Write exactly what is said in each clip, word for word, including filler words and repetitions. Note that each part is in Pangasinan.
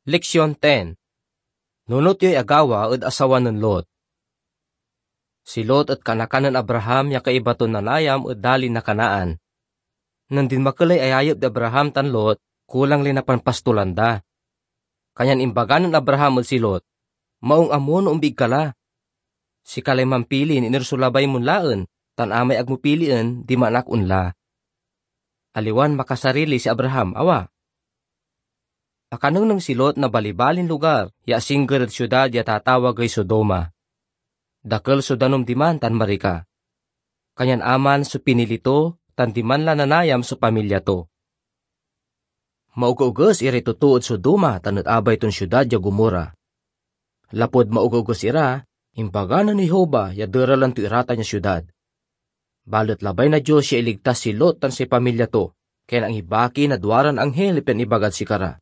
Leksyon ten. Nunot yoy agawa ed asawa nen Lot. Si Lot et kanakan nen Abraham ya kaiba ton nanayam ed dalin na Canaan. Nen dinmakel lay ayayep di Abraham tan Lot, kulang lay napanpastolan da. Kanyan imbaga nen Abraham ed si Lot, "Maung a mo no ombig ka la. Sika lay mampili no iner so labay mon laen, tan amay ag mo pilien, diman ak onla." Aliwan makasarili si Abraham, awa. Akanengneng si Lot na balibalin lugar ya asingger ed siudad ya tatawagey Sodoma. Dakel so danum diman tan marika. Kanyan aman so pinili to, tan diman la nanayam so pamilya to. Maogeoges iray totoo ed Sodoma tan ed abay ton siudad ya Gomorra. Lapud maogeoges ira, imbaga nen Jehovah ya deralen to iratan ya siudad. Balet labay na Dios ya iligtas si Lot tan say pamilya to, kanyan angibaki na duaran anghel pian ibagad sikara,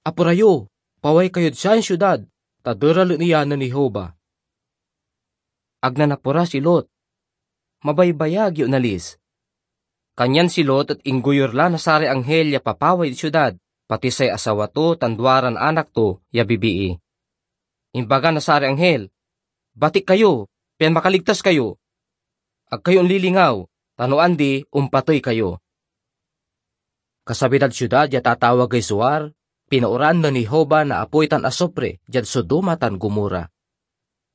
"Apura yo, paway kayod sayan siudad, ta deralen iya nen Jehovah." Ag nanapura si Lot. Mabaybayag ya onalis. Kanyan si Lot et inggoyur la na saray anghel ya papaway ed siudad, pati say asawa to tan duaran anak to ya bibii. Imbaga na saray anghel, "Batik kayo, pian makaligtas kayo. Ag kayo onlilingaw, ta no andi, ompatey kayo." Kasabi dad siudad ya tatawagey Zoar, pinaoran nen Jehovah na apoy tan asupre diad Sodoma tan Gomorra.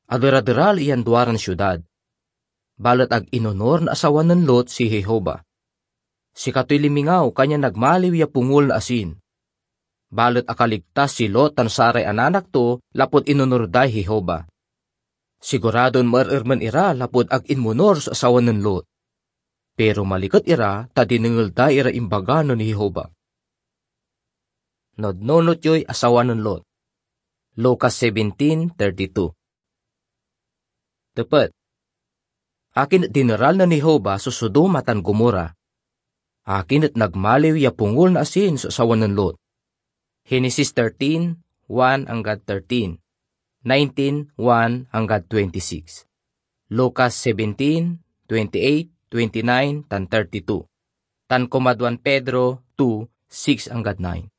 Aderaderal iyan duaran siudad. Balet ag inonor na asawa nen Lot si Jehovah. Sikatoy limingaw, kanyan nagmaliw ya pungol na asin. Balet akaligtas si Lot tan saray ananak to lapud inonor day Jehovah. Siguradon maerermen ira lapud ag inmonor so asawa nen Lot. Pero maliket ira ta dinengel da iray imbaga nen Jehovah. Nunot yoy asawa nen Lot. Lucas seventeen thirty-two. Tepet. Akin et dineral nen Jehovah so Sodoma tan Gomorra? Akin et nagmaliw ya pungol na asin so asawa nen Lot? Genesis thirteen, one anggad thirteen, nineteen, one anggad twenty-six, Lucas seventeen, twenty-eight, twenty-nine, tan thirty-two, tan kumadwan Pedro two, six anggad nine.